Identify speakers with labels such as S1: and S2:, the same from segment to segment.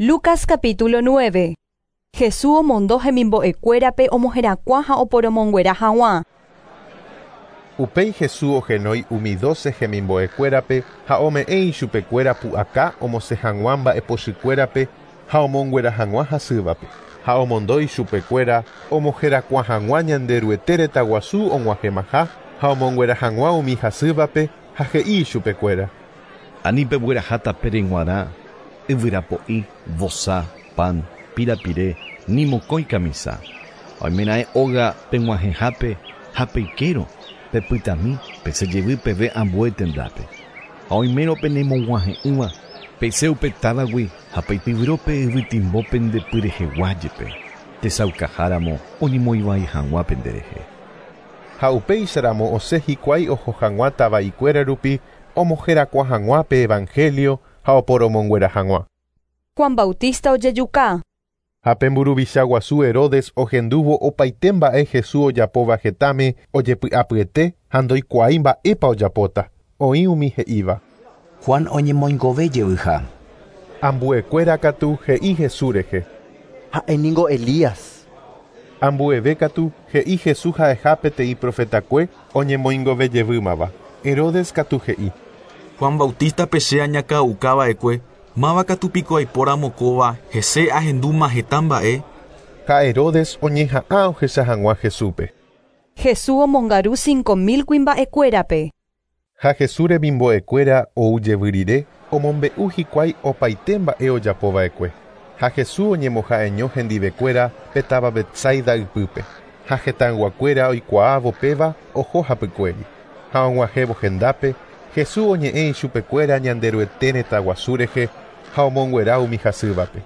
S1: Lucas capítulo 9. Jesús omondo hemimbo'ekuérape omoherakuã ha oporomonguera haguã.
S2: Upéi Jesús ohenói umi dóse hemimbo'ekuérape ha ome'ẽ ichupekuéra pu'aka omosẽ hag̃ua mba'epochykuérape ha omonguera hag̃ua hasývape. Ha omondo ichupekuéra omoherakuã hag̃ua Ñanderuete retãguasu og̃uahẽmaha ha omonguera hag̃ua umi hasývape ha he'i ichupekuéra.
S3: Ani pegueraha tapére g̃uarã yvyrapo'i, vosa, pan, pirapire, ni mokõi kamisa. Oimeraẽ óga peg̃uahẽhápe ha peikérõ, pepytami, pesẽ jevy peve ambue tendápe. Ha oimérõ penemog̃uahẽ'ỹva, pesẽ upe távagui ha peityvyro pe yvytimbo pende pyrehegua jepe, tesaukaháramo oñemoĩvai hag̃ua penderehe.
S2: Ha upéicharamo osẽ hikuái oho hag̃ua tava'ikuéra rupi omoherakuã hag̃ua pe evangelio ha oporomonguera hag̃ua.
S1: Juan Bautista ojejuka.
S2: Ha pe mburuvicha guasu Herodes ohendúvo opaite mba'e Jesús ojapóva hetãme ojepy'apyete ha ndoikuaái mba'épa ojapóta. Oĩ umi he'íva.
S4: Juan oñemoingove jevyha.
S2: Ambuekuéra katu he'i Jesús rehe.
S5: Ha'éningo Elías.
S2: Ambueve katu he'i Jesús ha'eha peteĩ profetakue oñemoingovejevýmava. Herodes katu he'i.
S6: Juan Bautista pe che añakã'ukava'ekue, máva katu piko aipóramo kóva hese ahendúma heta mba'e.
S2: Ha Herodes oñeha'ã ohecha hag̃ua Jesúspe.
S1: Jesús omongaru 5000 kuimba'ekuérape.
S2: Ha Jesús remimbo'ekuéra ou jevy rire omombe'u hikuái opaite mba'e ojapova'ekue. Ha Jesús oñemoha'eño hendivekuéra pe táva Betsaida ypýpe. Ha hetãyguakuéra oikuaávo péva oho hapykuéri. Ha og̃uahẽvo hendápe, Jesús oñe'ẽ ichupekuéra Ñanderuete retãguasu rehe ha omonguera umi hasývape.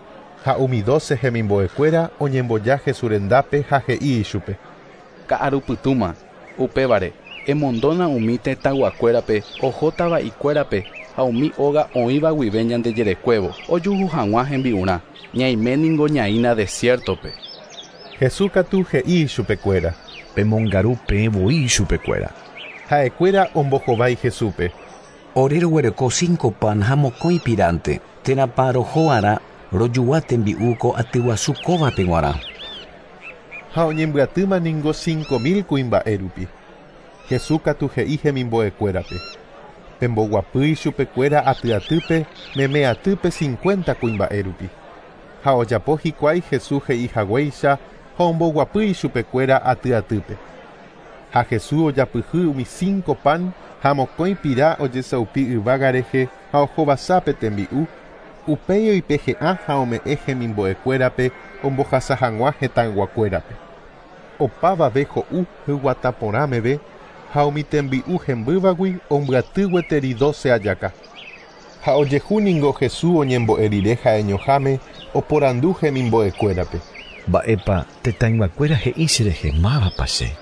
S2: Ha umi dóce hemimbo'ekuéra oñemboja Jesús rendápe ha he'i ichupe.
S7: Ka'arupytũma, upévare, emondóna umi tetãyguakuérape ohótava'ikuérape ha umi óga oĩva guive ñandejerekuévo ojuhu hag̃ua hembi'urã. Ñaiméningo ñaína desierto-pe.
S2: Jesús katu he'i ichupekuéra.
S3: Pemongaru peẽ voi ichupekuéra.
S2: Ha'ekuéra ombohovái Jesúspe.
S4: Ore roguereko 5 pan ha mokõi piránte, térãpa roho'arã rojugua tembi'u ko atyguasu kóvape g̃uarã.
S2: Ha oñembyatýma ningo 5000 kuimba'e rupi. Jesús katu he'i hemimbo'ekuérape. Pemboguapy ichupekuéra aty atýpe meme atýpe 50 kuimba'e rupi. Ha ojapo hikuái Jesús he'i haguéicha ha omboguapy ichupekuéra aty atýpe. Ha Jesús ojapyhy umi 5 pan ha mokõi pira ojesaupi yvága rehe ha ohovasa pe tembi'u, upéi oipehe'ã ha ome'ẽ hemimbo'ekuérape ombohasa hag̃ua hetãyguakuérape. Opavave ho'u hyguata porã meve ha umi tembi'u hembývagui ombyaty gueteri 12 ajaka. Ha ojehu ningo Jesús oñembo'e rire ha'eñoháme oporandu hemimbo'ekuérape.
S3: Mba'épa tetãyguakuéra he'i cherehe mávapa che.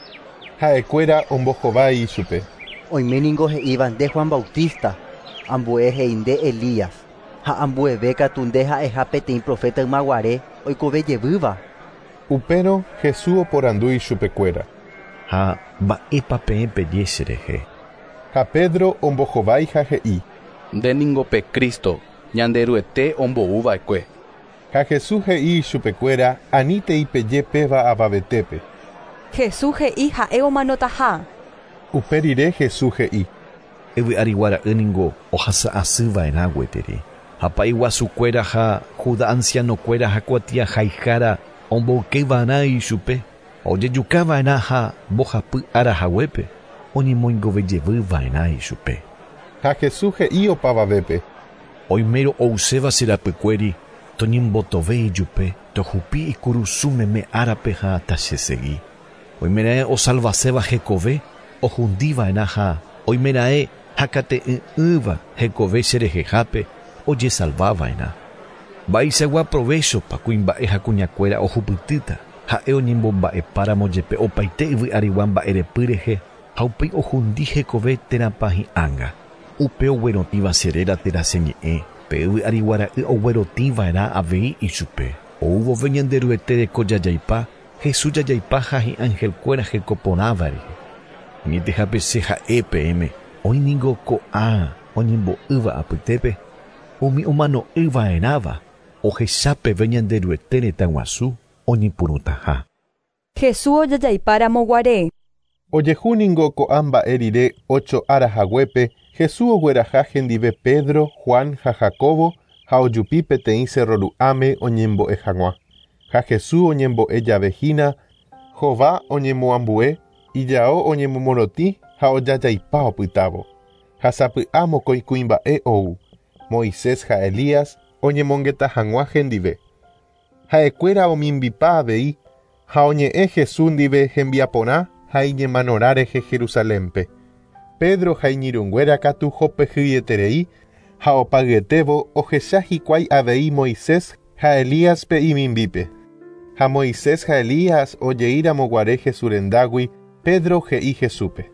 S2: Ha'ekuéra ombohovái ichupe.
S5: Oiméningo he'íva nde Juan Bautista, ambue he'i nde Elías, ha ambueve katu nde ha'eha peteĩ profeta ymaguare oikovejevýva.
S2: Upérõ Jesús oporandu ichupekuéra.
S3: Ha mba'épa peẽ peje cherehe.
S2: Ha Pedro ombohovái ha he'i.
S7: Ndéningo pe Cristo, Ñanderuete ombouva'ekue.
S2: Ha Jesús he'i ichupekuéra anítei peje péva avavetépe.
S1: Jesús he'i ha'e omanotaha.
S2: Upe rire Jesús he'i.
S3: Yvyarigua ra'y ningo ohasa'asyva'erã gueteri. Ha pa'i guasukuéra ha Judá ancianokuéra ha kuatiahaihára omboykeva'erã ichupe, ojejukava'erã ha mbohapy ára haguépe oñemoingovejevýva'erã ichupe.
S2: Ha Jesús he'i opavavépe.
S3: Oimérõ ouséva che rapykuéri toñembotove ijupe tohupi ikurusu meme árape ha tachesegi. Oimeraẽ osalvaséva hekove ohundiva'erã ha oimeraẽ hakate'ỹ'ỹva hekove cherehehápe ojesalvava'erã. Mba'eichagua provechopa kuimba'e ha kuñakuéra ohupytýta ha'e oñembomba'epáramo jepe opaite yvy'arigua mba'erepy rehe ha upéi ohundi hekove térãpa hi'ánga. Upe oguerotĩva che réra térã che ñe'ẽ, pe yvy'arigua ra'y oguerotĩva'erã avei ichupe. Ou vove Ñanderuete reko jajaipa, Jesús jajaipa ha hi'angelkuéra hekoporãva rehe. Añetehápe che ha'e peẽme, oĩningo ko'ã oñembo'ýva apytépe, umi omano'ỹva'erãva. Ohechapeve Ñanderuete retã guasu oñepyrũtaha.
S1: Jesús ojajaipáramo guare.
S2: Ojehu ningo ko'ã mba'e rire ocho ára haguépe, Jesús ogueraha hendive Pedro, Juan ha Jacobo ha ojupi peteĩ cerro ru'ãme oñembo'e hag̃ua. Ha Jesús oñembo'e jave hína, hova oñemoambue, ijao oñemomorotĩ ha ojajaipa opytávo. Ha sapy'a mokõi kuimba'e ou, Moisés ha Elías oñemongeta hag̃ua hendive. Ha'ekuéra omimbipa avei ha oñe'ẽ Jesús ndive hembiaporã ha iñemanorã rehe Jerusalénpe. Pedro ha iñirũnguéra katu hopehýieterei ha opagyetévo ohecha hikuái avei Moisés ha Elíaspe imimbípe. Ha Moisés ha Elías ojeíramo guare Jesús rendágui, Pedro he'i Jesúspe.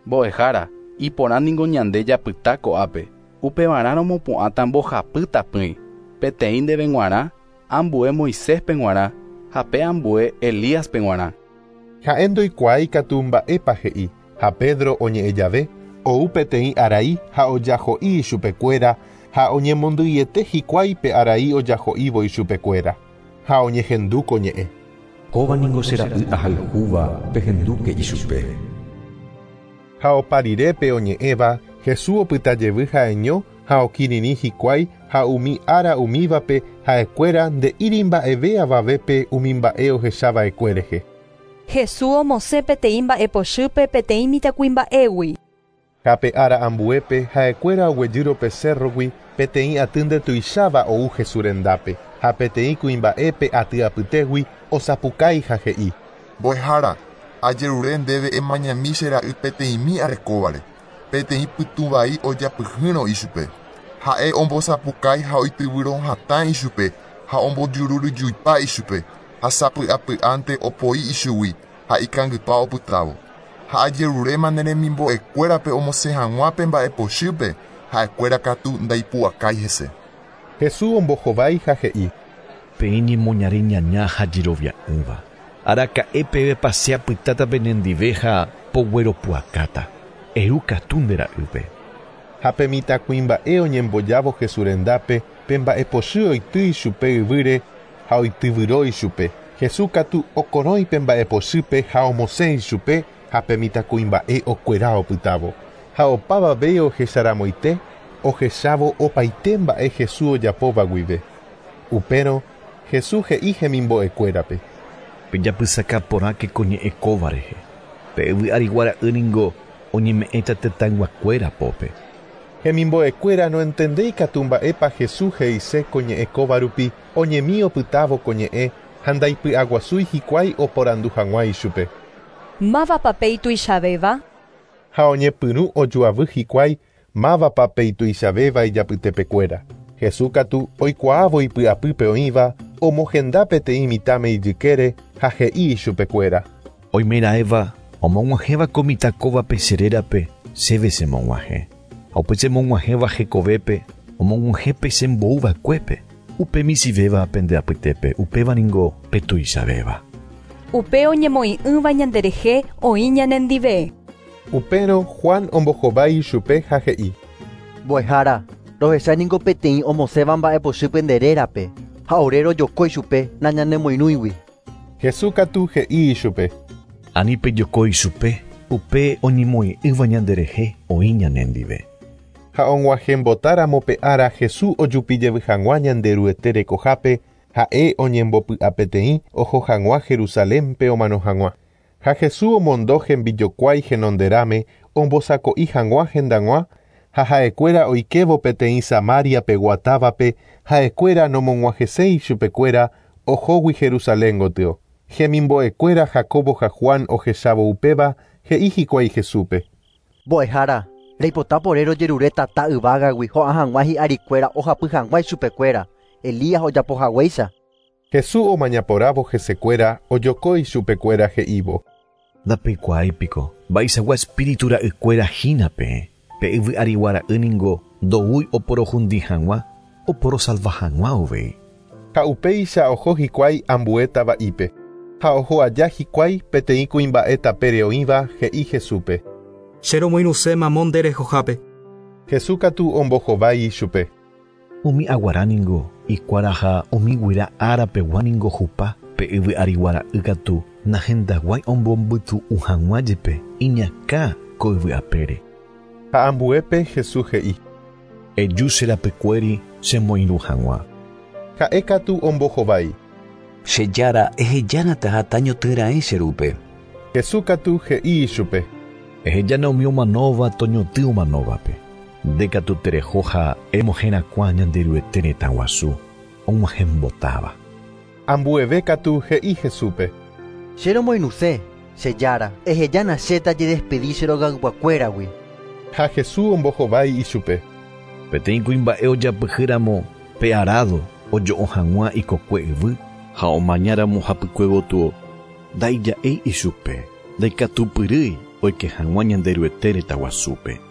S7: Mbo'ehára, iporã ningo ñande japyta ko'ápe. Upevarã romopu'ãta mbohapy tapỹi. Peteĩ ndéve g̃uarã, ambue Moiséspe g̃uarã ha pe ambue Elíaspe g̃uarã.
S2: Ha'e ndoikuaái katu mba'épa he'i, ha Pedro oñe'ẽ jave, ou peteĩ arai ha ojaho'i ichupekuéra ha oñemondýiete hikuái pe arai ojaho'ívo ichupekuéra. Ha oñehendu ko ñe'ẽ.
S8: Kóva ningo che ra'y ahayhúva pehendúke ichupe.
S2: Ha opa rire pe oñe'ẽva, Jesús opyta jevy ha'eño ha okirirĩ hikuái ha umi ára umívape ha'ekuéra nde'íri mba'eve avavépe umi mba'e ohechava'ekue rehe.
S1: Jesús omosẽ peteĩ mba'epochýpe peteĩ mitãkuimba'égui.
S2: Ha pe ára ambuépe ha'ekuéra oguejýrõ pe cerrogui peteĩ aty ndetuicháva ou Jesús rendápe ha peteĩ kuimba'épe aty apytégui osapukái ha he'i.
S9: Mbo'ehára, ajerure ndéve emañami che ra'y peteĩmi arekóvare, peteĩ pytũ vai ojapyhýrõ ichupe. Ha'e ombosapukái ha oityvyrõ hatã ichupe ha ombojururyjuipa ichupe ha sapy'apy'ánte opoi ichugui ha ikangypa opytávo. Ha ajeruréma ne remimbo'ekuérape omosẽ hag̃ua pe mba'epochýpe ha'ekuéra katu ndaipu'akái hese.
S2: Jesús ombohovái ha he'i.
S3: Peẽ ñemoñare ñaña ha jerovia'ỹva. Araka'e peve che apytáta penendive ha pogueropu'akáta. Eru katu nde ra'ýpe.
S2: Ha pe mitãkuimba'e oñembojávo Jesús rendápe, pe mba'epochy oity ichupe yvýre ha oityvyro ichupe. Jesús katu okorõi pe mba'epochýpe ha omosẽ ichupe ha pe mitãkuimba'e okuera opytávo. Ha opavave ohecharamoite ohechávo opaite mba'e Jesús ojapóva guive. Upérõ Jesús he'i hemimbo'ekuérape.
S3: Pejapysaka porãke ko ñe'ẽ kóva rehe. Pe yvy arigua ra'y ningo oñeme'ẽta tetãyguakuéra pópe.
S2: Hemimbo'ekuéra noentendéi katu mba'épa Jesús he'ise ko ñe'ẽ kóva rupi oñemi opytávo ko ñe'ẽ ha ndaipy'aguasúi hikuái oporandu hag̃ua ichupe.
S1: Mávapa pe ituichavéva?
S2: Ha oñepyrũ ojoavy hikuái mávapa pe ituichavéva ijapytepekuéra. Jesús katu oikuaávo ipy'apýpe oĩva omohenda peteĩ mitãme ijykére ha he'i ichupekuéra.
S3: Oimeraẽva omog̃uahẽva ko mitã kóvape che rérape chéve chemog̃uahẽ. Ha upe chemog̃uahẽva hekovépe omog̃uahẽ pe chembouva'ekuépe. Upe michĩvéva pende apytépe upéva ningo pe tuichavéva.
S1: Upe oñemoĩ'ỹva ñanderehe oĩ ñanendive.
S2: Upérõ Juan ombohovái ichupe ha he'i.
S5: Mbo'ehára, rohecha ningo peteĩ omosẽva mba'epochýpe nde rérape ha ore rojoko ichupe nañanemoirũigui.
S2: Jesús katu he'i ichupe.
S3: Ani pejoko ichupe upe oñemoĩ'ỹva ñanderehe oĩ ñanendive.
S2: Ha og̃uahẽmbotáramo pe ára Jesús ojupijevy hag̃ua Ñanderuete rekohápe ha'e oñembopy'apeteĩ oho hag̃ua Jerusalénpe omano hag̃ua. Ha Jesús omondo hembijokuái henonderãme ombosako'i hag̃ua hendag̃ua ha ha'ekuéra oikévo peteĩ Samariape guatávape ha'ekuéra nomog̃uahẽséi ichupekuéra ohógui Jerusalén gotyo. Hemimbo'ekuéra Jacobo ha Juan ohechávo upéva he'i hikuái Jesúspe.
S5: Mbo'ehára, reipota ore rojerure tata yvágagui ho'a hag̃ua hi'arikuéra ohapy hag̃ua ichupekuéra. Elías ojapohaguéicha.
S2: Jesús omañaporávo hesekuéra ojoko ichupekuéra he'ívo.
S3: Ndapeikuaáipiko mba'eichagua espíritu ra'ykuéra hína peẽ. Pe yvy arigua ra'y ningo ndoúi oporohundi hag̃ua oporosalva hag̃ua uvei.
S2: Ha upéicha oho hikuái ambue tava'ípe. Ha oho aja hikuái peteĩ kuimba'e tapére oĩva he'i Jesúspe.
S6: Che romoirũse mamo nde rehohápe.
S2: Jesús katu ombohovái ichupe.
S3: Umi aguara ningo Ikuaraha umi guyra árapegua ningo hupa pe yvy ariguara'y katu nahendaguái ombombytu'u hag̃ua jepe iñakã ko yvy apére.
S2: Ha ambuépe Jesús he'i.
S3: Eju che rapykuéri chemoirũ hag̃ua.
S2: Ha'e katu ombohovái.
S4: Che Jára ehejánata ha tañotỹraẽ che rúpe.
S2: Jesús katu he'i ichupe.
S3: Ehejána umi omanóva toñotỹ omanóvape. Nde katu tereho ha emoherakuã Ñanderuete retã guasu og̃uahẽmbotáva.
S2: Ambueve katu he'i Jesúspe.
S5: Che romoirũse, che Jára, ehejána che tajedespedi che rogayguakuéragui.
S2: Ha Jesús ombohovái ichupe.
S3: Peteĩ kuimba'e ojapyhýramo pe arado ojo'o hag̃ua ikokue yvy ha omañáramo hapykue gotyo ndaija'éi ichupe ndaikatupyrýi oike hag̃ua Ñanderuete retã guasúpe.